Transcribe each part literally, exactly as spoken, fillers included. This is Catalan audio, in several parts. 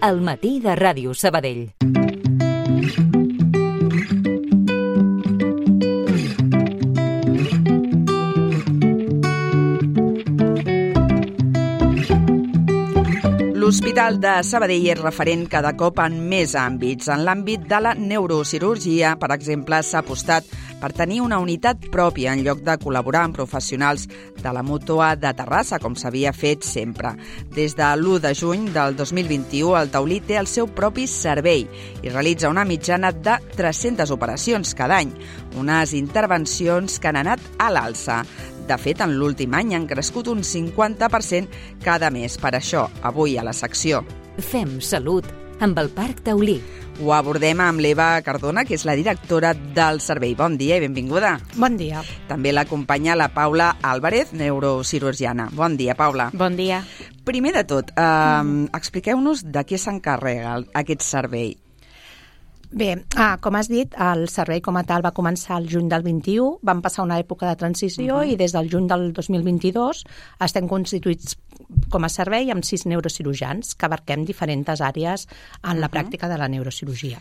al matí de Ràdio Sabadell. L'Hospital de Sabadell és referent cada cop en més àmbits. En l'àmbit de la neurocirurgia, per exemple, s'ha apostat per tenir una unitat pròpia en lloc de col·laborar amb professionals de la Mútua de Terrassa, com s'havia fet sempre. Des de l'u de juny del dos mil vint-i-u, el Taulí té el seu propi servei i realitza una mitjana de tres-centes operacions cada any, unes intervencions que han anat a l'alça. De fet, en l'últim any han crescut un cinquanta per cent cada mes. Per això, avui a la secció Fem Salut amb el Parc Taulí. Ho abordem amb l'Eva Cardona, que és la directora del servei. Bon dia i benvinguda. Bon dia. També l'acompanya la Paula Álvarez, neurocirurgiana. Bon dia, Paula. Bon dia. Primer de tot, eh, mm. expliqueu-nos de què s'encarrega aquest servei. Bé, ah, com has dit, el servei com a tal va començar el juny del vint-i-u, vam passar una època de transició uh -huh. i des del juny del dos mil vint-i-dos estem constituïts com a servei amb sis neurocirurgians que abarquem diferents àrees en la uh -huh. pràctica de la neurocirurgia.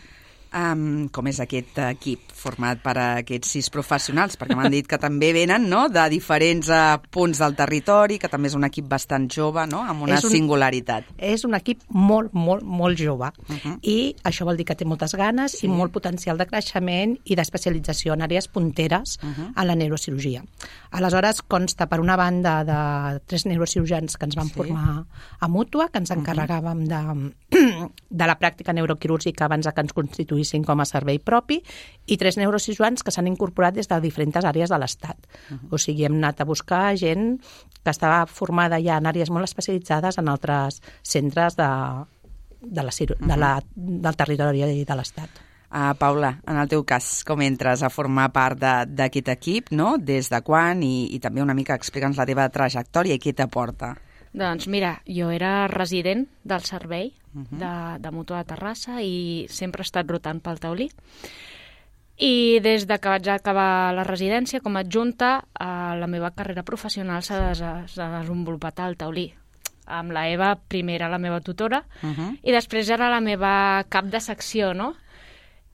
Um, com és aquest equip format per aquests sis professionals? Perquè m'han dit que també venen, no?, de diferents uh, punts del territori, que també és un equip bastant jove, no?, amb una és un, singularitat. És un equip molt, molt, molt jove. Uh -huh. I això vol dir que té moltes ganes sí. i molt potencial de creixement i d'especialització en àrees punteres uh -huh. a la neurocirurgia. Aleshores, consta per una banda de tres neurocirurgians que ens van sí. formar a Mútua, que ens encarregàvem de, de la pràctica neuroquirúrgica abans que ens constituïssin com a servei propi, i tres neurocirurgians que s'han incorporat des de diferents àrees de l'Estat. Uh -huh. O sigui, hem anat a buscar gent que estava formada ja en àrees molt especialitzades en altres centres de, de la, de la, del territori de l'Estat. Uh, Paula, en el teu cas, com entres a formar part d'aquest equip, no? Des de quan? I, i també una mica explica'ns la teva trajectòria i què t'aporta. Doncs mira, jo era resident del servei uh -huh. de, de Mútua de Terrassa i sempre he estat rotant pel Taulí. I des de que vaig acabar la residència com a adjunta, eh, la meva carrera professional s'ha des, desenvolupat al Taulí. Amb la Eva, primer era la meva tutora, uh -huh. i després era la meva cap de secció, no?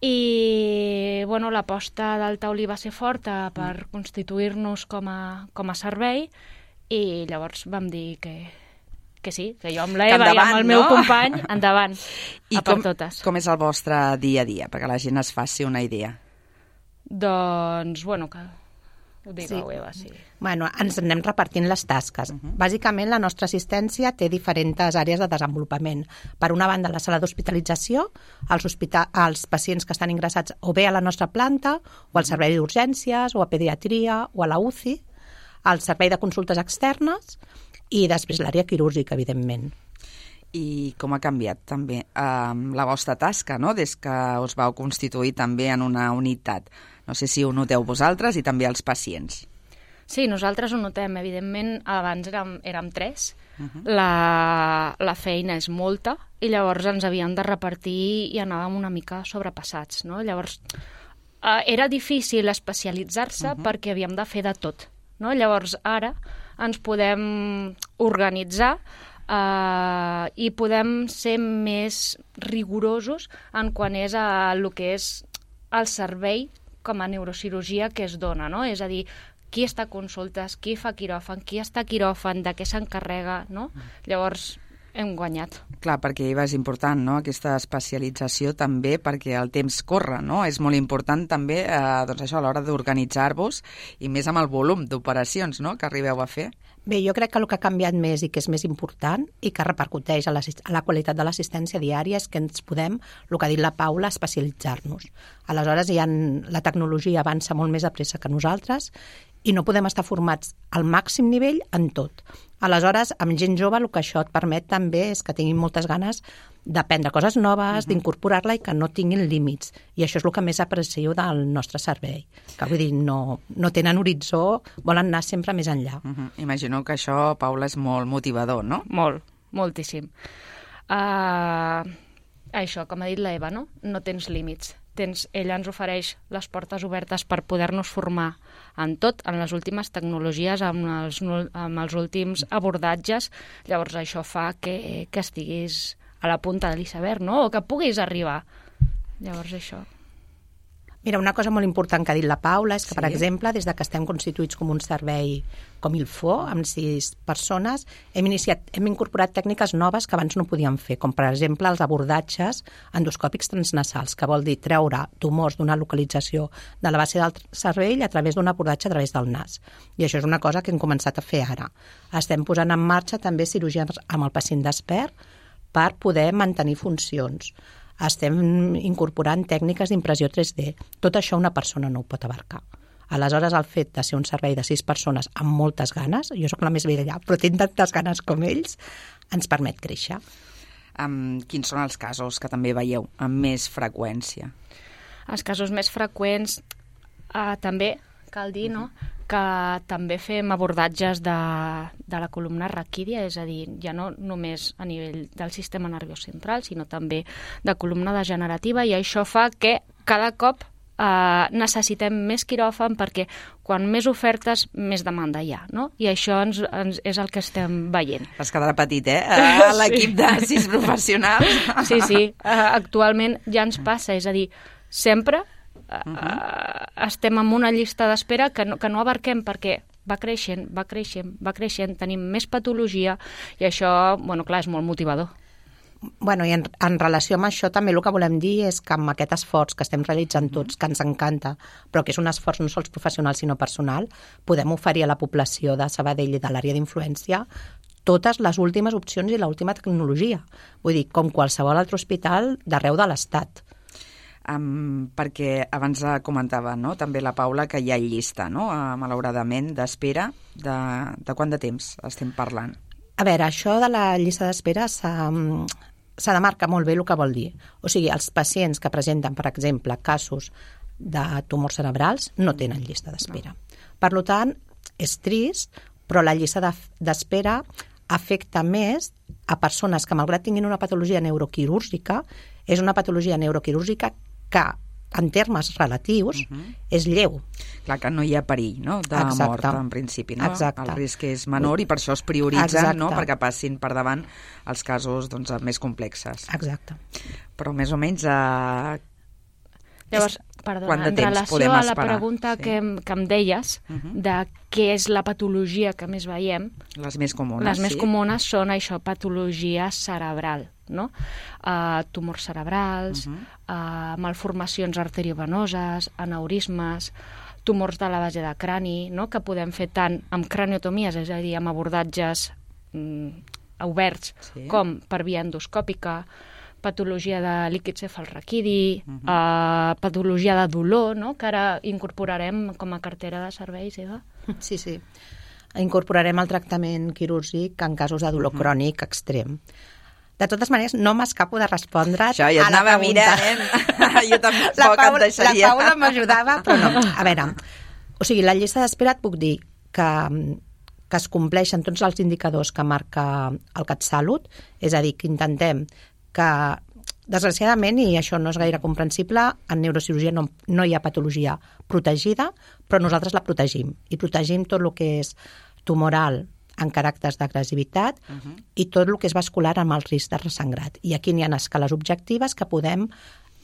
I bueno, l'aposta del Taulí va ser forta per uh -huh. constituir-nos com a, com a servei, i llavors vam dir que, que sí, que jo amb l'Eva i amb el meu no? company, endavant, I a per com, totes. com és el vostre dia a dia, perquè la gent es faci una idea? Doncs, bueno, que ho digueu, sí. Eva, sí. Bueno, ens anem repartint les tasques. Uh -huh. Bàsicament, la nostra assistència té diferents àrees de desenvolupament. Per una banda, la sala d'hospitalització, els, hospital, els pacients que estan ingressats o bé a la nostra planta, o al servei d'urgències, o a pediatria, o a la U C I, el servei de consultes externes i després l'àrea quirúrgica, evidentment. I com ha canviat també um, la vostra tasca, no?, des que us vau constituir també en una unitat. No sé si ho noteu vosaltres i també els pacients. Sí, nosaltres ho notem. Evidentment, abans érem, érem tres. Uh -huh. la, la feina és molta i llavors ens havíem de repartir i anàvem una mica sobrepassats, no? Llavors, eh, era difícil especialitzar-se uh -huh. perquè havíem de fer de tot. No? Llavors, ara ens podem organitzar eh, i podem ser més rigorosos en quan és a el que és el servei com a neurocirurgia que es dona, no? És a dir, qui està a consultes, qui fa quiròfan, qui està a quiròfan, de què s'encarrega, no? Llavors, hem guanyat. Clar, perquè és important, no?, aquesta especialització també perquè el temps corre, no? És molt important també, eh, doncs això, a l'hora d'organitzar-vos i més amb el volum d'operacions, no?, que arribeu a fer. Bé, jo crec que el que ha canviat més i que és més important i que repercuteix a la, a la qualitat de l'assistència diària és que ens podem, el que ha dit la Paula, especialitzar-nos. Aleshores, ja en, la tecnologia avança molt més a pressa que nosaltres i no podem estar formats al màxim nivell en tot. Aleshores, amb gent jove, el que això et permet també és que tinguin moltes ganes d'aprendre coses noves, uh-huh. d'incorporar-la i que no tinguin límits. I això és el que més aprecio del nostre servei. Que vull dir, no, no tenen horitzó, volen anar sempre més enllà. Uh-huh. Imagino que això, Paula, és molt motivador, no? Molt, moltíssim. Uh, això, com ha dit l'Eva, no? No tens límits. Tens, ella ens ofereix les portes obertes per poder-nos formar en tot, en les últimes tecnologies, amb els, amb els últims abordatges. Llavors això fa que, que estiguis a la punta de l'iceberg, no? O que puguis arribar. Llavors, això... Mira, una cosa molt important que ha dit la Paula és que, Sí. per exemple, des de que estem constituïts com un servei com il F O, amb sis persones, hem, iniciat, hem incorporat tècniques noves que abans no podíem fer, com per exemple els abordatges endoscòpics transnasals, que vol dir treure tumors d'una localització de la base del cervell a través d'un abordatge a través del nas. I això és una cosa que hem començat a fer ara. Estem posant en marxa també cirurgies amb el pacient despert per poder mantenir funcions. Estem incorporant tècniques d'impressió tres D. Tot això una persona no ho pot abarcar. Aleshores, el fet de ser un servei de sis persones amb moltes ganes, jo sóc la més vella allà, però tinc tantes ganes com ells, ens permet créixer. Um, quins són els casos que també veieu amb més freqüència? Els casos més freqüents, eh, també cal dir, no?, que també fem abordatges de, de la columna raquídia, és a dir, ja no només a nivell del sistema nerviós central, sinó també de columna degenerativa, i això fa que cada cop eh, necessitem més quiròfan perquè quan més ofertes, més demanda hi ha, no? I això ens, ens és el que estem veient. Vas quedar petit, eh? A l'equip de sis professionals. Sí, sí, uh, actualment ja ens passa, és a dir, sempre uh, uh, estem en una llista d'espera que no, que no abarquem perquè va creixent, va creixent, va creixent, tenim més patologia i això, bueno, clar, és molt motivador. Bueno, i en, en relació amb això també el que volem dir és que amb aquest esforç que estem realitzant tots, que ens encanta, però que és un esforç no sols professional sinó personal, podem oferir a la població de Sabadell i de l'àrea d'influència totes les últimes opcions i l'última tecnologia. Vull dir, com qualsevol altre hospital d'arreu de l'Estat. Um, perquè abans comentava, no?, també la Paula, que hi ha llista, no?, uh, malauradament, d'espera. De, de quant de temps estem parlant? A veure, això de la llista d'espera s'ha s'ha de marcar molt bé el que vol dir. O sigui, els pacients que presenten, per exemple, casos de tumors cerebrals no tenen llista d'espera. Per tant, és trist, però la llista d'espera afecta més a persones que, malgrat tinguin una patologia neuroquirúrgica, és una patologia neuroquirúrgica que, en termes relatius, uh -huh. és lleu. Clar que no hi ha perill, no?, de Exacte. mort, en principi, no? Exacte. El risc és menor i per això es prioritzen, Exacte. no?, perquè passin per davant els casos, doncs, més complexes. Exacte. Però més o menys a... Llavors, Quant perdona, de en temps relació podem a la esperar? pregunta Sí. que, em- que em deies, Uh -huh. de què és la patologia que més veiem, Les més comunes, les més sí? comunes són això, patologia cerebral, no? Uh, tumors cerebrals, Uh uh, malformacions arteriovenoses, aneurismes, tumors de la base de crani, no?, que podem fer tant amb craniotomies, és a dir, amb abordatges mm, oberts, Sí. com per via endoscòpica, patologia de líquid cefalraquidi, Uh -huh. uh, patologia de dolor, no?, que ara incorporarem com a cartera de serveis, Eva. Sí, sí. Incorporarem el tractament quirúrgic en casos de dolor uh -huh. crònic extrem. De totes maneres, no m'escapo de respondre Això ja a la anava pregunta. mirant, eh? Jo tampoc la Paula, et deixaria. La Paula m'ajudava, però no. A veure, o sigui, la llista d'espera et puc dir que, que es compleixen tots els indicadors que marca el CatSalut, és a dir, que intentem que, desgraciadament, i això no és gaire comprensible, en neurocirurgia no, no hi ha patologia protegida, però nosaltres la protegim. I protegim tot el que és tumoral en caràcters d'agressivitat uh -huh. i tot el que és vascular amb el risc de ressangrat. I aquí n'hi ha escales objectives que podem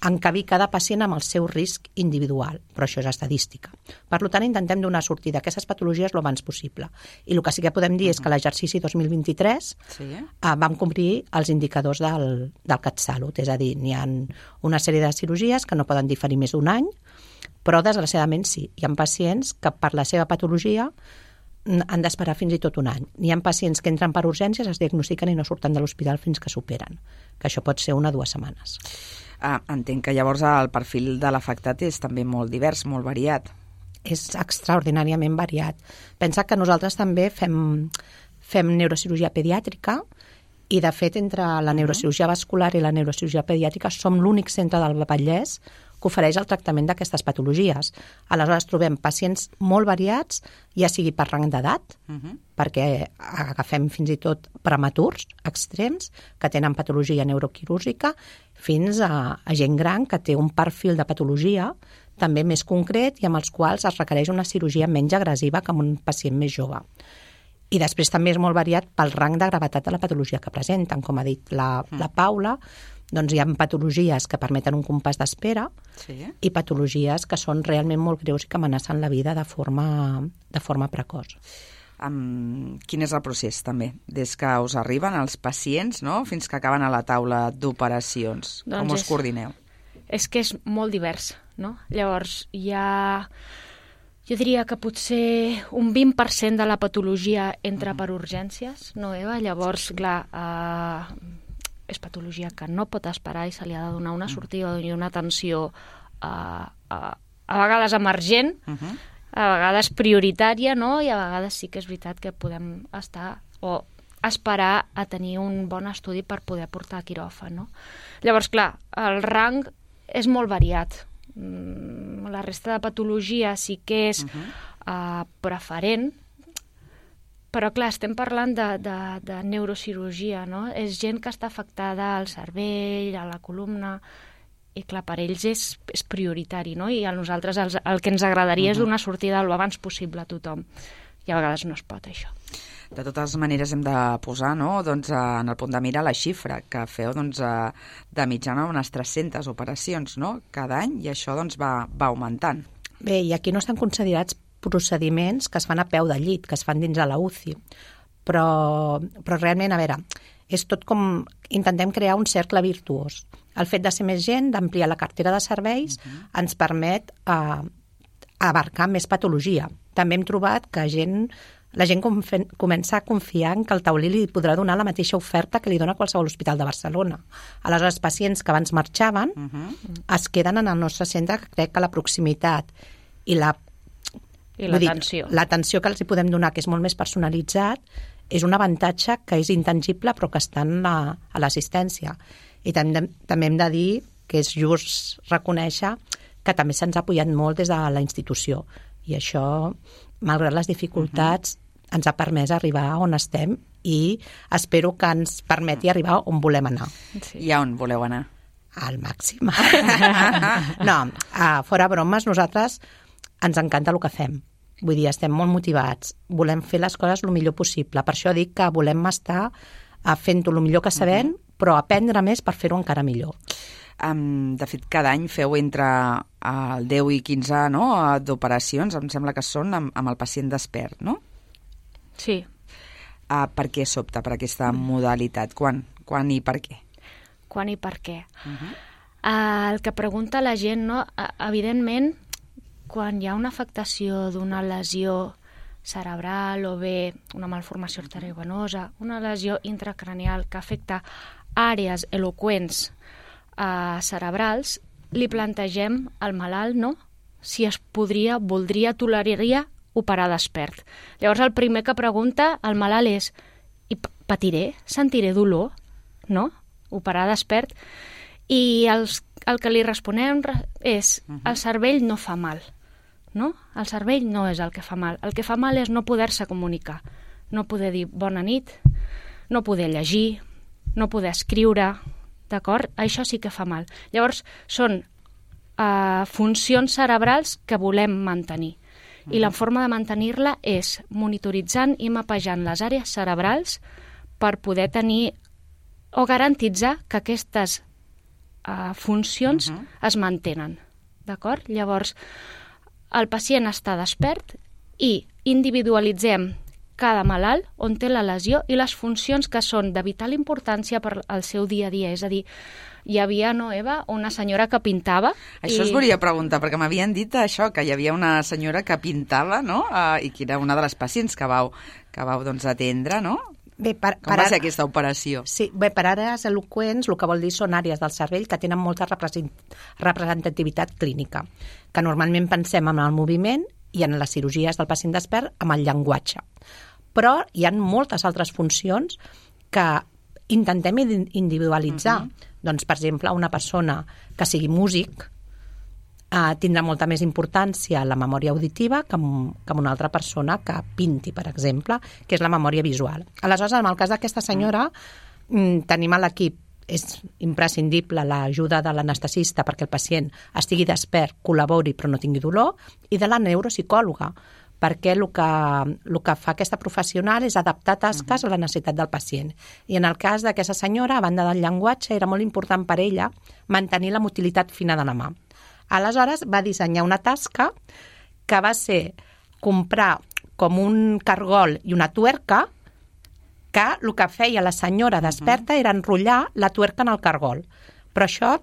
encabir cada pacient amb el seu risc individual, però això és estadística. Per tant, intentem donar sortida a aquestes patologies el abans possible. I el que sí que podem dir uh -huh. és que l'exercici dos mil vint-i-tres Sí. eh, vam complir els indicadors del, del CatSalut, és a dir, n'hi ha una sèrie de cirurgies que no poden diferir més d'un any, però desgraciadament sí. Hi ha pacients que per la seva patologia han d'esperar fins i tot un any. N'hi ha pacients que entren per urgències, es diagnostiquen i no surten de l'hospital fins que superen, que això pot ser una o dues setmanes. Ah, entenc que llavors el perfil de l'afectat és també molt divers, molt variat. És extraordinàriament variat. Pensa que nosaltres també fem, fem neurocirurgia pediàtrica i, de fet, entre la neurocirurgia vascular i la neurocirurgia pediàtrica som l'únic centre del Vallès que ofereix el tractament d'aquestes patologies. Aleshores trobem pacients molt variats, ja sigui per rang d'edat, uh -huh. perquè agafem fins i tot prematurs extrems que tenen patologia neuroquirúrgica, fins a, a gent gran que té un perfil de patologia també més concret i amb els quals es requereix una cirurgia menys agressiva que amb un pacient més jove. I després també és molt variat pel rang de gravetat de la patologia que presenten. Com ha dit la, mm. la Paula, doncs hi ha patologies que permeten un compàs d'espera sí. i patologies que són realment molt greus i que amenacen la vida de forma, de forma precoç. Um, quin és el procés, també? Des que us arriben els pacients, no?, fins que acaben a la taula d'operacions. Doncs Com us és, coordineu? És que és molt divers, no? Llavors, hi ha... Jo diria que potser un vint per cent de la patologia entra per urgències, no, Eva? Llavors, clar, eh, és patologia que no pot esperar i se li ha de donar una sortida i una atenció eh, a, a vegades emergent, uh -huh. a vegades prioritària, no? I a vegades sí que és veritat que podem estar o esperar a tenir un bon estudi per poder portar a quiròfan, no? Llavors, clar, el rang és molt variat. La resta de patologia sí que és uh-huh. uh, preferent, però clar, estem parlant de, de, de neurocirurgia, no? És gent que està afectada al cervell, a la columna, i clar, per ells és, és prioritari, no? I a nosaltres els, el que ens agradaria uh-huh. és donar sortida el abans possible a tothom. I a vegades no es pot, això. De totes maneres hem de posar, no?, doncs, en el punt de mira la xifra que feu, doncs, de mitjana unes tres-centes operacions, no?, cada any, i això doncs, va, va augmentant. Bé, i aquí no estan considerats procediments que es fan a peu de llit, que es fan dins de la U C I, però, però realment, a veure, és tot com... Intentem crear un cercle virtuós. El fet de ser més gent, d'ampliar la cartera de serveis, uh-huh. ens permet eh, abarcar més patologia. També hem trobat que gent... La gent comença a confiar en que el taulí li podrà donar la mateixa oferta que li dona qualsevol hospital de Barcelona. Aleshores, pacients que abans marxaven uh-huh. es queden en el nostre centre, que crec que la proximitat i la I l'atenció. L'atenció que els hi podem donar, que és molt més personalitzat, és un avantatge que és intangible però que està en la, a l'assistència. I també, també hem de dir que és just reconèixer que també se'ns ha apoyat molt des de la institució. I això, malgrat les dificultats, uh-huh. ens ha permès arribar on estem i espero que ens permeti arribar on volem anar. Sí. I a on voleu anar? Al màxim. No, a fora bromes, nosaltres ens encanta el que fem. Vull dir, estem molt motivats, volem fer les coses el millor possible. Per això dic que volem estar fent-ho el millor que sabem, uh-huh. però aprendre més per fer-ho encara millor. Um, de fet, cada any feu entre el deu i quinze, no?, d'operacions, em sembla que són amb, amb el pacient despert, no? Sí. Uh, per què s'opta per aquesta modalitat? Quan? Quan i per què? Quan i per què? Uh-huh. Uh, el que pregunta la gent, no? Uh, evidentment, quan hi ha una afectació d'una lesió cerebral o bé una malformació arteriovenosa, una lesió intracranial que afecta àrees eloqüents Uh, cerebrals, li plantegem al malalt, no?, si es podria, voldria, toleraria operar despert. Llavors el primer que pregunta al malalt és: i patiré? Sentiré dolor? No? Operar despert? I els, el que li responem és: el cervell no fa mal, no? El cervell no és el que fa mal. El que fa mal és no poder-se comunicar, no poder dir bona nit, no poder llegir, no poder escriure. D'acord? Això sí que fa mal. Llavors, són uh, funcions cerebrals que volem mantenir. I la forma de mantenir-la és monitoritzant i mapejant les àrees cerebrals per poder tenir o garantitzar que aquestes uh, funcions uh-huh. es mantenen. D'acord? Llavors, el pacient està despert i individualitzem cada malalt on té la lesió i les funcions que són de vital importància per al seu dia a dia. És a dir, hi havia, no, Eva, una senyora que pintava... Això i... us volia preguntar, perquè m'havien dit això, que hi havia una senyora que pintava, no?, uh, i que era una de les pacients que vau, que vau doncs, atendre, no? Bé, per, Com per va ser ara... aquesta operació? Sí, bé, per àrees eloqüents el que vol dir són àrees del cervell que tenen molta representativitat clínica, que normalment pensem en el moviment i en les cirurgies del pacient despert amb el llenguatge. Però hi ha moltes altres funcions que intentem individualitzar. Uh-huh. Doncs, per exemple, una persona que sigui músic eh, tindrà molta més importància la memòria auditiva que, que una altra persona que pinti, per exemple, que és la memòria visual. Aleshores, en el cas d'aquesta senyora, uh-huh. tenim a l'equip, és imprescindible l'ajuda de l'anestesista perquè el pacient estigui despert, col·labori però no tingui dolor, i de la neuropsicòloga, perquè el que, el que fa aquesta professional és adaptar tasques uh-huh. a la necessitat del pacient. I en el cas d'aquesta senyora, a banda del llenguatge, era molt important per ella mantenir la motilitat fina de la mà. Aleshores, va dissenyar una tasca que va ser comprar com un cargol i una tuerca, que el que feia la senyora desperta era enrotllar la tuerca en el cargol. Però això,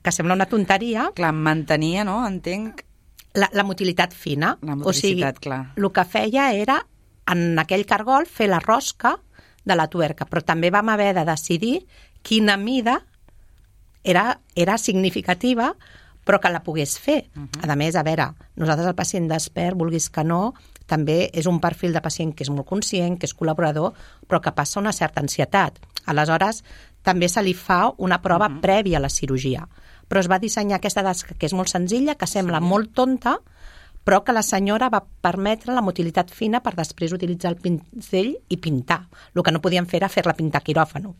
que sembla una tonteria... Clar, mantenia, no? Entenc... La, la motilitat fina. La motilitat, o sigui, clar. El que feia era, en aquell cargol, fer la rosca de la tuerca, però també vam haver de decidir quina mida era, era significativa, però que la pogués fer. Uh-huh. A més, a veure, nosaltres el pacient despert, vulguis que no, també és un perfil de pacient que és molt conscient, que és col·laborador, però que passa una certa ansietat. Aleshores, també se li fa una prova uh-huh. prèvia a la cirurgia. Però es va dissenyar aquesta tasca, que és molt senzilla, que sembla sí. molt tonta, però que la senyora va permetre la motilitat fina per després utilitzar el pinzell i pintar. El que no podien fer era fer-la pintar quiròfano.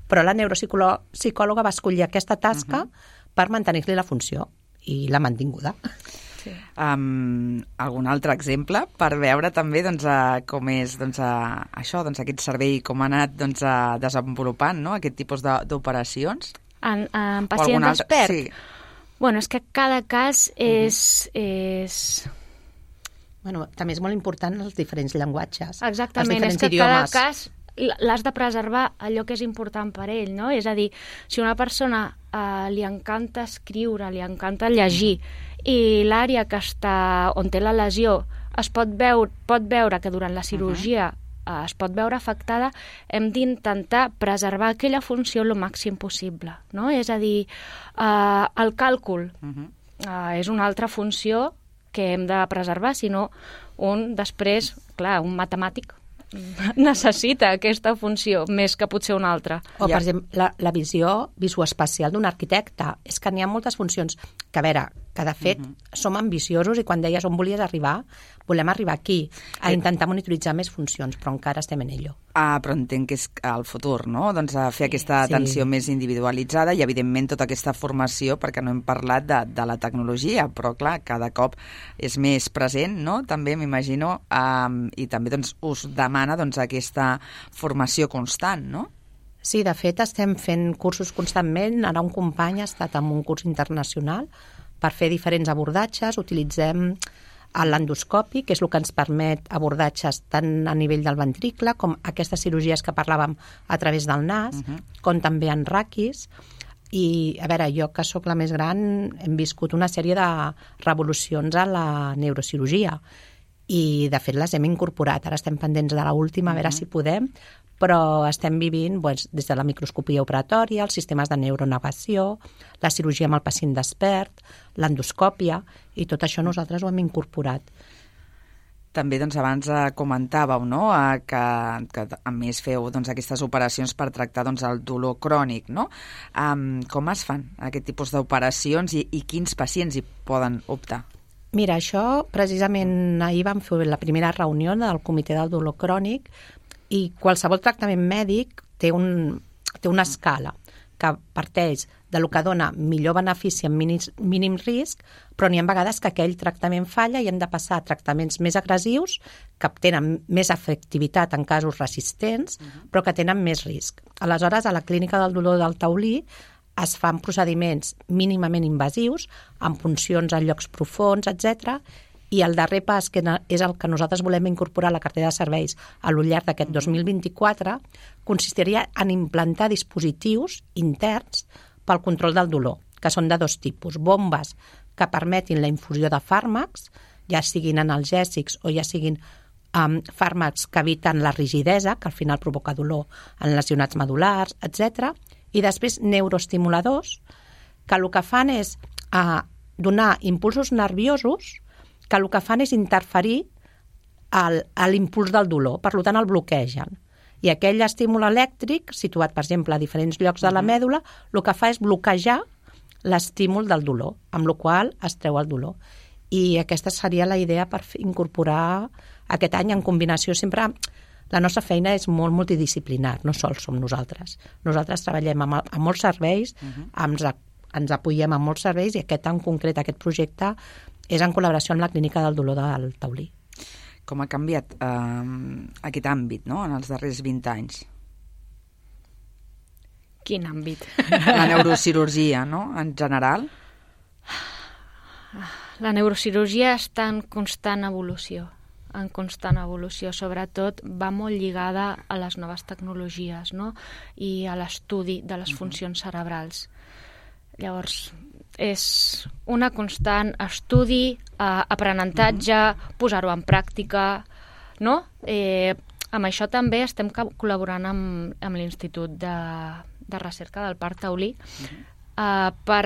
Però la neuropsicòloga va escollir aquesta tasca uh-huh. per mantenir-li la funció, i l'ha mantinguda. Sí. Um, algun altre exemple per veure també doncs, uh, com és doncs, uh, això, doncs, aquest servei, com ha anat doncs, uh, desenvolupant, no? Aquest tipus d'operacions? En, en pacient despert? Sí. Bueno, és que cada cas és... Uh-huh. és... Bueno, també és molt important els diferents llenguatges. Exactament, els és que idiomes. Cada cas l'has de preservar allò que és important per ell, no? És a dir, si una persona eh, li encanta escriure, li encanta llegir, i l'àrea que està, on té la lesió es pot veure, pot veure que durant la cirurgia uh-huh. es pot veure afectada, hem d'intentar preservar aquella funció el màxim possible, no? És a dir, eh, el càlcul uh-huh. eh, és una altra funció que hem de preservar, sinó un després, clar, un matemàtic necessita aquesta funció més que potser una altra. O, per exemple, la, la visió visoespacial d'un arquitecte. És que n'hi ha moltes funcions que, a veure, que de fet uh-huh. som ambiciosos i quan deies on volies arribar, volem arribar aquí, a intentar monitoritzar més funcions, però encara estem en ello. Ah, però entenc que és el futur, no? Doncs a fer sí, aquesta atenció sí. més individualitzada i, evidentment, tota aquesta formació, perquè no hem parlat de, de la tecnologia, però, clar, cada cop és més present, no? També, m'imagino, um, i també doncs, us demana doncs, aquesta formació constant, no? Sí, de fet, estem fent cursos constantment. Ara un company ha estat en un curs internacional per fer diferents abordatges. Utilitzem l'endoscopi, que és el que ens permet abordatges tant a nivell del ventricle com aquestes cirurgies que parlàvem a través del nas, uh-huh. com també en raquis. I, a veure, jo que sóc la més gran, hem viscut una sèrie de revolucions a la neurocirurgia i, de fet, les hem incorporat. Ara estem pendents de l'última, a veure uh-huh. si podem, però estem vivint doncs, des de la microscopia operatòria, els sistemes de neuronavegació, la cirurgia amb el pacient despert, l'endoscòpia, i tot això nosaltres ho hem incorporat. També doncs, abans eh, comentàveu no? eh, que, que a més feu doncs, aquestes operacions per tractar doncs, el dolor crònic. No? Um, com es fan aquest tipus d'operacions i, i quins pacients hi poden optar? Mira, això precisament ahir vam fer la primera reunió del Comitè del Dolor Crònic i qualsevol tractament mèdic té, un, té una escala que parteix de lo que dona millor benefici amb mínim, mínim risc, però n'hi ha vegades que aquell tractament falla i hem de passar a tractaments més agressius que tenen més efectivitat en casos resistents, uh-huh. però que tenen més risc. Aleshores, a la Clínica del Dolor del Taulí es fan procediments mínimament invasius, amb puncions en llocs profunds, etcètera, i el darrer pas, que és el que nosaltres volem incorporar a la cartera de serveis a lo llarg d'aquest dos mil vint-i-quatre, consistiria en implantar dispositius interns pel control del dolor, que són de dos tipus. Bombes que permetin la infusió de fàrmacs, ja siguin analgèsics o ja siguin um, fàrmacs que eviten la rigidesa, que al final provoca dolor en lesionats medul·lars, etcètera. I després neuroestimuladors, que el que fan és uh, donar impulsos nerviosos que el que fan és interferir al, a l'impuls del dolor, per tant el bloquegen. I aquell estímul elèctric, situat, per exemple, a diferents llocs de la mèdula, el que fa és bloquejar l'estímul del dolor, amb la qual es treu el dolor. I aquesta seria la idea per incorporar aquest any en combinació sempre... La nostra feina és molt multidisciplinar, no sols som nosaltres. Nosaltres treballem amb, amb molts serveis, uh-huh. ens, ens apoyem amb molts serveis i aquest en concret, aquest projecte, és en col·laboració amb la Clínica del Dolor del Taulí. Com ha canviat eh, aquest àmbit, no?, en els darrers vint anys? Quin àmbit? La neurocirurgia, no?, en general. La neurocirurgia està en constant evolució, en constant evolució. Sobretot va molt lligada a les noves tecnologies, no?, i a l'estudi de les funcions cerebrals. Llavors, és una constant estudi, eh, aprenentatge, posar-ho en pràctica, no? Eh, amb això també estem col·laborant amb, amb l'Institut de, de Recerca del Parc Taulí eh, per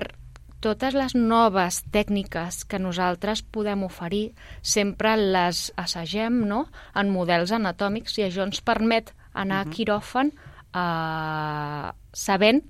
totes les noves tècniques que nosaltres podem oferir, sempre les assagem, no?, en models anatòmics, i això ens permet anar a quiròfan eh, sabent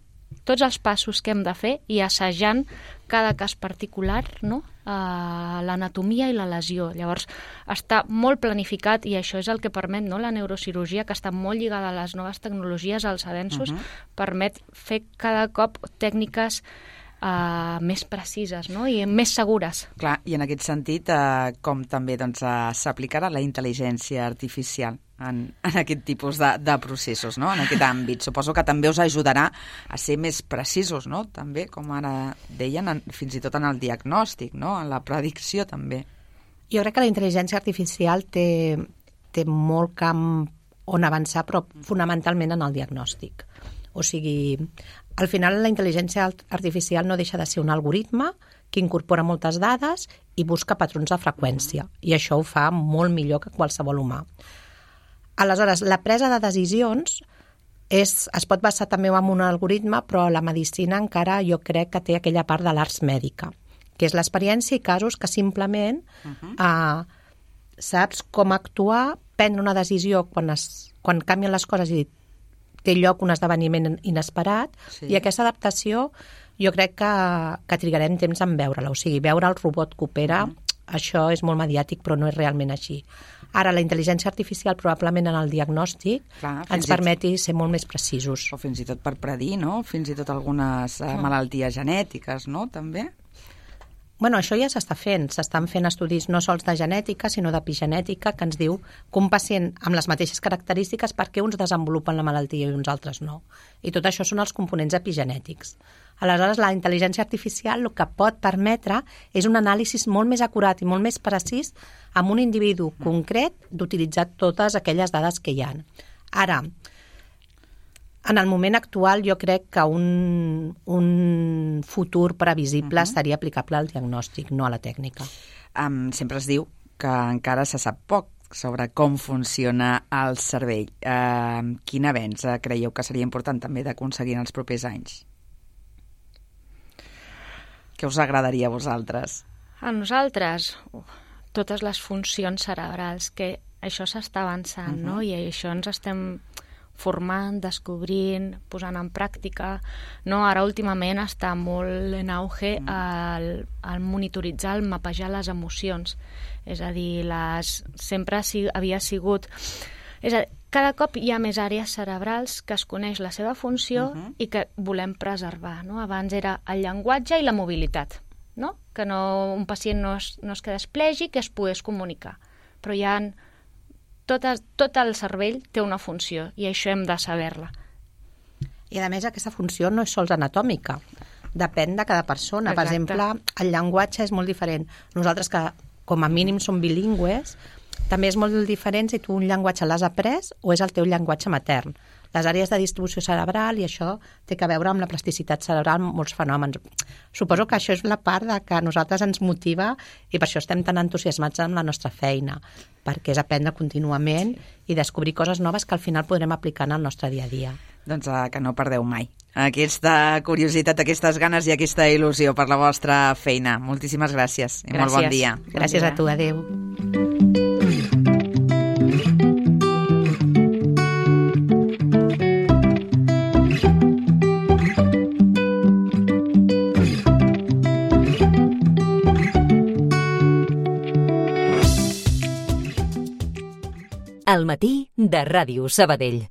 tots els passos que hem de fer i assajant cada cas particular, no?, uh, l'anatomia i la lesió. Llavors, està molt planificat i això és el que permet, no?, la neurocirurgia, que està molt lligada a les noves tecnologies, als avenços, uh-huh. permet fer cada cop tècniques uh, més precises, no?, i més segures. Clar, i en aquest sentit, uh, com també doncs, uh, s'aplicarà la intel·ligència artificial En, en aquest tipus de, de processos, no?, en aquest àmbit. Suposo que també us ajudarà a ser més precisos, no?, també, com ara deien, en, fins i tot en el diagnòstic, no?, en la predicció també. Jo crec que la intel·ligència artificial té, té molt camp on avançar, però fonamentalment en el diagnòstic. O sigui, al final la intel·ligència artificial no deixa de ser un algoritme que incorpora moltes dades i busca patrons de freqüència, i això ho fa molt millor que qualsevol humà. Aleshores, la presa de decisions és, es pot basar també en un algoritme, però la medicina encara jo crec que té aquella part de l'ars mèdica, que és l'experiència i casos que simplement uh-huh. eh, saps com actuar, prendre una decisió quan, es, quan canvien les coses i té lloc un esdeveniment inesperat, sí. I aquesta adaptació jo crec que, que trigarem temps en veure-la. O sigui, veure el robot que opera, uh-huh. això és molt mediàtic, però no és realment així. Ara, la intel·ligència artificial, probablement en el diagnòstic, Clar, ens permeti ser molt més precisos. O fins i tot per predir, no? Fins i tot algunes eh, malalties genètiques, no?, també? Bueno, això ja s'està fent. S'estan fent estudis no sols de genètica, sinó d'epigenètica, que ens diu que un pacient amb les mateixes característiques, per què uns desenvolupen la malaltia i uns altres no. I tot això són els components epigenètics. Aleshores, la intel·ligència artificial el que pot permetre és un anàlisi molt més acurat i molt més precís amb un individu concret d'utilitzar totes aquelles dades que hi ha. Ara, en el moment actual jo crec que un, un futur previsible uh-huh. estaria aplicable al diagnòstic, no a la tècnica. Um, sempre es diu que encara se sap poc sobre com funciona el cervell. Uh, quin avenç uh, creieu que seria important també d'aconseguir en els propers anys? Què us agradaria a vosaltres? A nosaltres, uh, totes les funcions cerebrals, que això s'està avançant, uh-huh. no? I això ens estem formant, descobrint, posant en pràctica, no? Ara últimament està molt en auge el, el monitoritzar, el mapejar les emocions. És a dir, les, sempre si, havia sigut... És a dir, cada cop hi ha més àrees cerebrals que es coneix la seva funció uh-huh. i que volem preservar, no? Abans era el llenguatge i la mobilitat, no? Que no, un pacient no es, no es quedés plègic, que es pogués comunicar. Però hi ha... Tot, tot el cervell té una funció i això hem de saber-la. I a més aquesta funció no és sols anatòmica, depèn de cada persona. Exacte. Per exemple, el llenguatge és molt diferent. Nosaltres que com a mínim som bilingües, també és molt diferent si tu un llenguatge l'has après o és el teu llenguatge matern. Les àrees de distribució cerebral i això té a veure amb la plasticitat cerebral, molts fenòmens. Suposo que això és la part de que a nosaltres ens motiva i per això estem tan entusiasmats amb la nostra feina, perquè és aprendre contínuament i descobrir coses noves que al final podrem aplicar en el nostre dia a dia. Doncs uh, que no perdeu mai aquesta curiositat, aquestes ganes i aquesta il·lusió per la vostra feina. Moltíssimes gràcies i gràcies. Molt bon dia. Gràcies bon dia. A tu, adéu. Al matí de Ràdio Sabadell.